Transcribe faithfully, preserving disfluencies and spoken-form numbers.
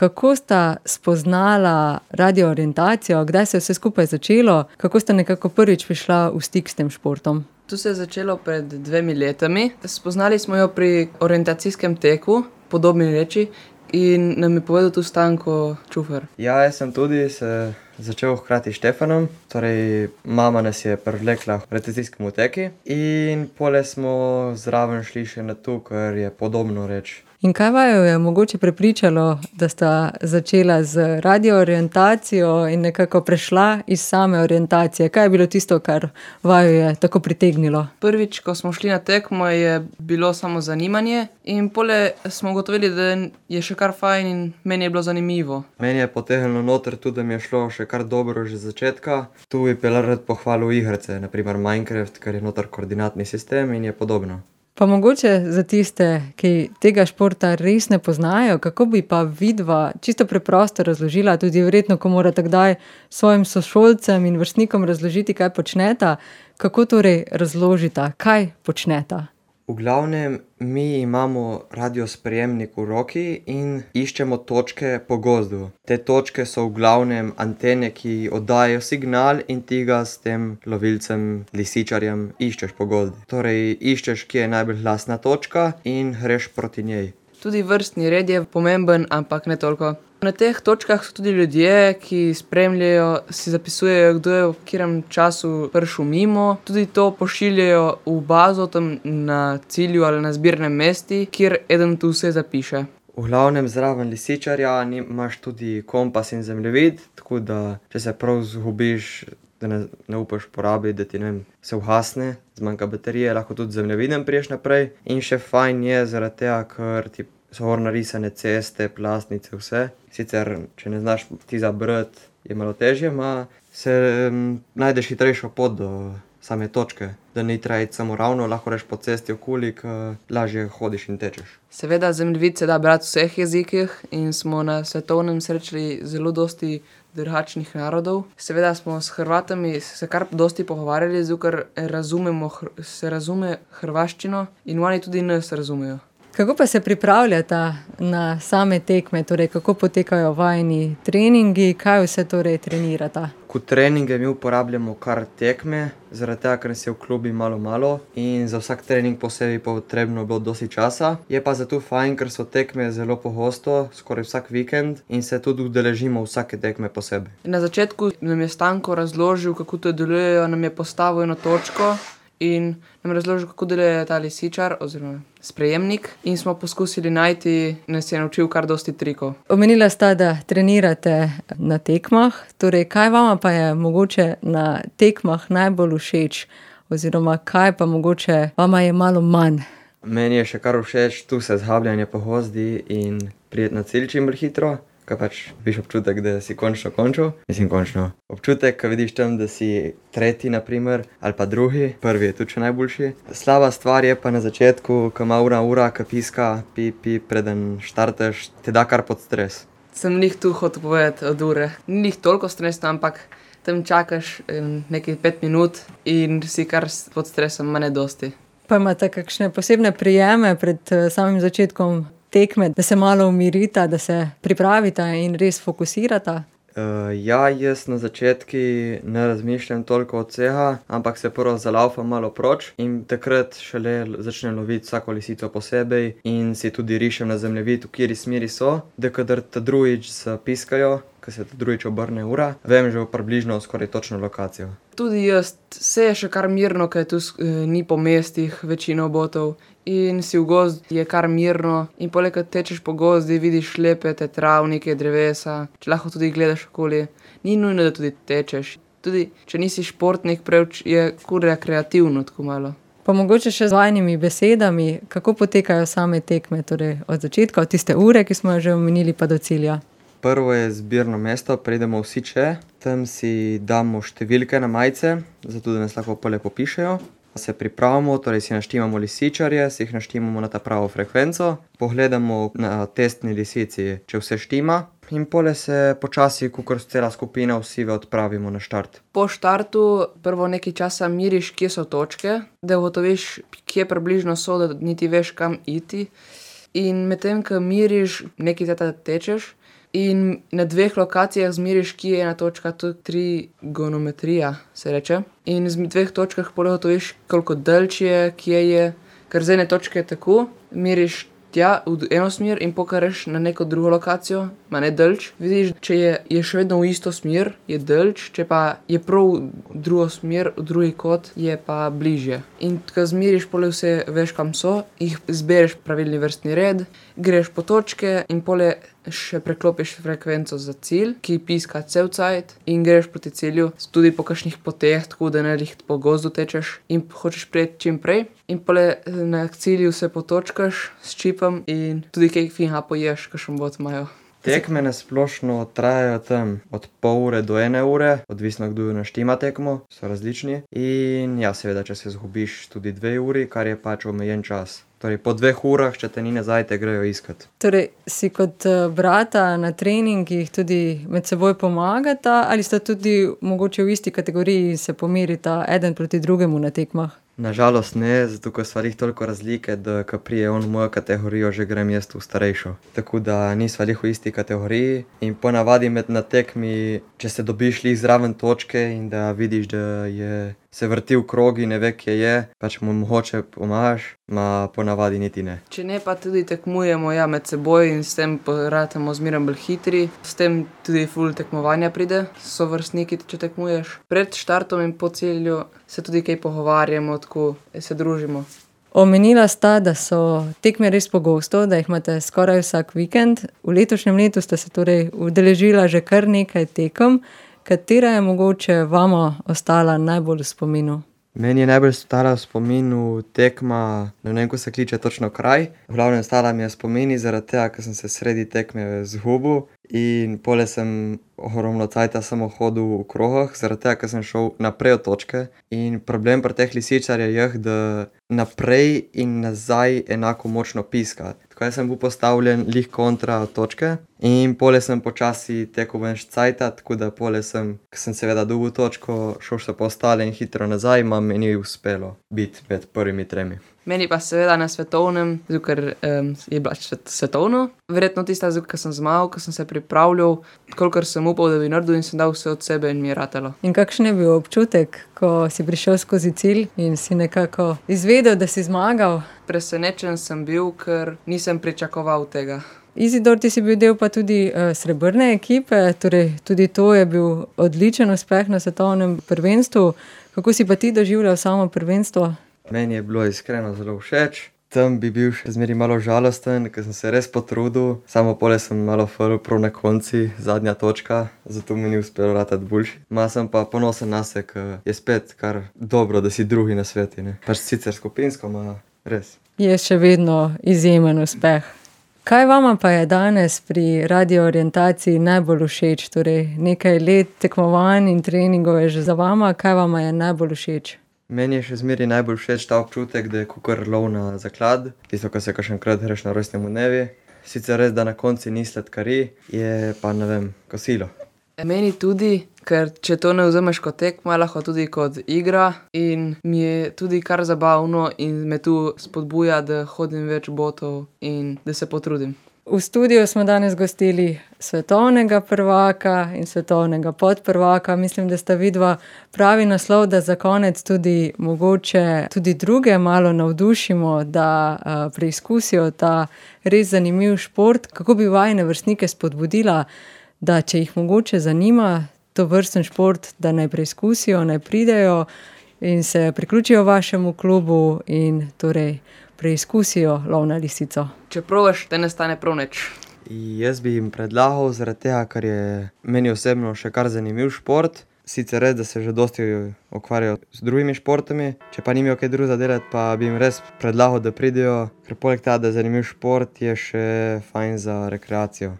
kako sta spoznala radioorientacijo, kdaj se je vse skupaj začelo, kako sta nekako prvič prišla v stik s tem športom? To se je začelo pred dvemi letami. Spoznali smo jo pri orientacijskem teku, Podobni reči, in nam je povedal tu Stanko Čufer. Ja, jaz sem tudi se začel hkrati s Štefanom, torej mama nas je privlekla v orientacijskem teki in pole smo zraven šli še na to, kar je Podobno reč. In kaj vaju je mogoče prepričalo, da sta začela z radioorientacijo in nekako prešla iz same orientacije? Kaj je bilo tisto, kar vaju je tako pritegnilo? Prvič, ko smo šli na tekmo, je bilo samo zanimanje in pole smo ugotovili, da je še kar fajn in meni je bilo zanimivo. Meni je potegnilo noter tudi, da mi je šlo še kar dobro že z začetka. Tu bi pa rad pohvalil igrice, na primer Minecraft, ker je noter koordinatni sistem in je podobno. Pa mogoče za tiste, ki tega športa res ne poznajo, kako bi pa vidva čisto preprosto razložila, tudi verjetno, ko morate kdaj svojim sošolcem in vrstnikom razložiti, kaj počneta, kako torej razložita, kaj počneta? V glavnem, mi imamo radiosprejemnik v roki in iščemo točke po gozdu. Te točke so v glavnem antene, ki oddajajo signal in ti ga s tem lovilcem, lisičarjem iščeš po gozdu. Torej, iščeš, kje je najbolj glasna točka in greš proti njej. Tudi vrstni red je pomemben, ampak ne toliko. Na teh točkah so tudi ljudje, ki spremljajo, si zapisujejo, kdo je v katerem času prišel mimo. Tudi to pošiljajo v bazo tam na cilju ali na zbirnem mestu, kjer eden tu vse zapiše. V glavnem zraven lisičarja imaš tudi kompas in zemljevid, tako da če se prav zgubiš, da ne, ne upaš porabiti, da ti ne vem, se uhasne, zmanjka baterije, lahko tudi zemljevidem priješ naprej. In še fajn je zaradi tega, ker ti so gor narisane ceste, plastnice, vse. Sicer, če ne znaš ti zabrati, je malo težje, ma se um, najdeš hitrejšo pot do same točke. Da ni treba iti samo ravno, lahko greš po cesti okoli, ker lažje hodiš in tečeš. Seveda zemljevid se da brati v vseh jezikih in smo na svetovnem srečali zelo dosti drugačnih narodov. Seveda smo s Hrvatami se kar dosti pogovarjali, zato ker razumemo, se razume hrvaščino in oni tudi nas razumejo. Kako pa se pripravljata na same tekme, torej kako potekajo vajini treningi, kaj vse torej trenirata? Kot treninge mi uporabljamo kar tekme, zaradi tega, ker nas je v klubi malo malo in za vsak trening posebej potrebno bilo dosti časa. Je pa zato fajn, ker so tekme zelo pogosto, skoraj vsak vikend in se tudi udeležimo vsake tekme posebej. Na začetku nam je Stanko razložil, kako to delujejo, nam je postavil eno točko in nam razložil, kako deluje ta lisičar oziroma sprejemnik in smo poskusili najti, nas je naučil kar dosti trikov. Omenila sta, da trenirate na tekmah, torej kaj vama pa je mogoče na tekmah najbolj všeč oziroma kaj pa mogoče vama je malo manj? Meni je še kar všeč tu se zhabljanje po gozdi in priti na cilj čim bolj hitro. Kaj pač viš občutek, da si končno končal. Mislim, končno. Občutek, ko vidiš tam, da si tretji, na primer, ali pa drugi. Prvi je tudi še najboljši. Slaba stvar je pa na začetku, ko ima ura, ura, ko piska, pi, pi, preden štartaš, te da kar pod stres. Sem lih tu hotel povedati od ure. Ni lih toliko stresno, ampak tam čakaš nekaj pet minut in si kar pod stresom, ma ne dosti. Pa imate kakšne posebne prijeme pred samim začetkom tekme, da se malo umirita, da se pripravita in res fokusirata? Uh, ja, jaz na začetki ne razmišljam toliko od vsega, ampak se prvo zalaufam malo proč in takrat šele začnem loviti vsako lisico posebej in si tudi rišem na zemljevid, v kateri smeri so, da kadar ta drugič zapiskajo, ko se ta drugič obrne ura, vem že približno skoraj točno lokacijo. Tudi jaz, vse je še kar mirno, ker tu eh, ni po mestih večino botov in si v gozd je kar mirno in poleg, ko tečeš po gozdi, vidiš lepe te travnike, drevesa, če lahko tudi gledaš okoli, ni nujno, da tudi tečeš. Tudi, če nisi športnik, preveč je kur rekreativno tako malo. Pa mogoče še z vajnimi besedami, kako potekajo same tekme, torej od začetka, od tiste ure, ki smo jo že omenili, pa do cilja? Prvo je zbirno mesto, pridemo vsi če, tam si damo številke na majice, zato da nas lahko pole popišejo. Se pripravimo, torej si naštimamo lisičarje, si jih naštimamo na ta pravo frekvenco, pogledamo na testni lisici, če vse štima in pole se počasi, kakor cela skupina vsi odpravimo na štart. Po štartu prvo nekaj časa miriš, kje so točke, da ugotoviš, kje približno so, da niti veš, kam iti. In medtem, ko miriš, nekaj teta tečeš, in na dveh lokacijah zmeriš, kje je ena točka, to je trigonometrija, se reče. In z dveh točkah pol ugotoviš, koliko daljč je, kje je, ker z ene točke je tako, meriš tja v eno smer in pokažeš na neko drugo lokacijo, ma ne daljč. Vidiš, če je, je še vedno v isto smer, je daljč, če pa je prav v drugo smer, v drugi kot, je pa bližje. In ko zmeriš, pole vse veš, kam so, jih zbereš pravilni vrstni red, greš po točke in pole še preklopiš frekvenco za cilj, ki piska cel cajt in greš proti cilju, tudi po kakšnih poteh, tako da ne lih po gozdu tečeš in hočeš priti čim prej. In pole na cilju se potočkaš s čipom in tudi kaj finha poješ, kakšen bod imajo. Tekme na splošno trajajo tam od pol ure do ene ure, odvisno kdo naštima tekmo, so različni. In ja, seveda, če se zgubiš tudi dve uri, kar je pač omejen čas. Torej, po dveh urah, če te ni nazaj, te grejo iskat. Torej, si kot brata na treningih tudi med seboj pomagata ali sta tudi mogoče v isti kategoriji se pomerita eden proti drugemu na tekmah? Nažalost ne, zato ker sva lih toliko razlike, da ko prije on v mojo kategorijo, že grem jaz v starejšo. Tako da nisva lih v isti kategoriji in ponavadi med na tekmi, če se dobiš lih zraven točke in da vidiš, da je se vrti v krogi, ne ve, kje je, pač mu mogoče pomagaš, ma ponavadi niti ne. Če ne, pa tudi tekmujemo ja, med seboj in s tem ratamo zmeraj bolj hitri, s tem tudi ful tekmovanja pride, so vrstniki, če tekmuješ. Pred štartom in po cilju se tudi kaj pogovarjamo, tako se družimo. Omenila sta, da so tekme res pogosto, da jih imate skoraj vsak vikend. V letošnjem letu sta se torej udeležila že kar nekaj tekem. Katera je mogoče vama ostala najbolj v spominu? Meni je najbolj ostala v spominu tekma, ne vem, ko se kliče točno kraj. V glavnem ostala mi je v spominu zaradi tega, ker sem se sredi tekme zgubil in pole sem ogromno cajta samo hodil v krogah, zaradi tega, ker sem šel naprej od točke. In problem pri teh lisičarjih je, da naprej in nazaj enako močno piska. Tako jaz sem bil postavljen lih kontra od točke in pole sem počasi tekel ven cajta, tako da pole sem, ko sem seveda dobil točko, šel se po ostale in hitro nazaj, ma mi ni uspelo biti med prvimi tremi. Meni pa seveda na svetovnem, zato ker um, je bila svetovno. Verjetno tista, zato ker sem zmagal, ker sem se pripravljal, kolikor sem upal, da bi naredil in sem dal vse od sebe in mi je ratalo. In kakšen je bil občutek, ko si prišel skozi cilj in si nekako izvedel, da si zmagal? Presenečen sem bil, ker nisem pričakoval tega. Izidor, ti si bil del pa tudi uh, srebrne ekipe, torej tudi to je bil odličen uspeh na svetovnem prvenstvu. Kako si pa ti doživljal samo prvenstvo? Meni je bilo iskreno zelo všeč. Tam bi bil še zmeri malo žalosten, ker sem se res potrudil. Samo pole sem malo falil prav na konci, zadnja točka, zato mi ni uspelo ratati boljši. Ma sem pa ponosen na se, ker je spet kar dobro, da si drugi na sveti, ne. Pač sicer skupinsko, ma res. Je še vedno izjemen uspeh. Kaj vama pa je danes pri Radio Orientaciji najbolj všeč? Torej, nekaj let tekmovanj in treningov je že za vama. Kaj vama je najbolj všeč? Meni je še zmeri najbolj všeč ta občutek, da je kakor lov na zaklad. Tisto, ko se kakšenkrat greš na rojstnemu dnevi. Sicer res, da na konci ni sladkari, je pa, ne vem, kosilo. Meni tudi, ker če to ne vzameš kot tekma, lahko tudi kot igra in mi je tudi kar zabavno in me tu spodbuja, da hodim več botov in da se potrudim. V studiu smo danes gostili svetovnega prvaka in svetovnega podprvaka. Mislim, da sta vidva pravi naslov, da za konec tudi mogoče tudi druge malo navdušimo, da uh, preizkusijo ta res zanimiv šport. Kako bi vajine vrstnike spodbudila, da če jih mogoče zanima to vrsten šport, da naj preizkusijo, naj pridejo in se priključijo vašemu klubu in torej preizkusijo lov na lisico. Če probaš, te ne stane prav nič. Jaz bi jim predlagal, zaradi tega, ker je meni osebno še kar zanimiv šport. Sicer res, da se že dosti ukvarjajo z drugimi športami, če pa nimajo kaj drugega delati, pa bi jim res predlagal, da pridejo, ker poleg tega, da je zanimiv šport, je še fajn za rekreacijo.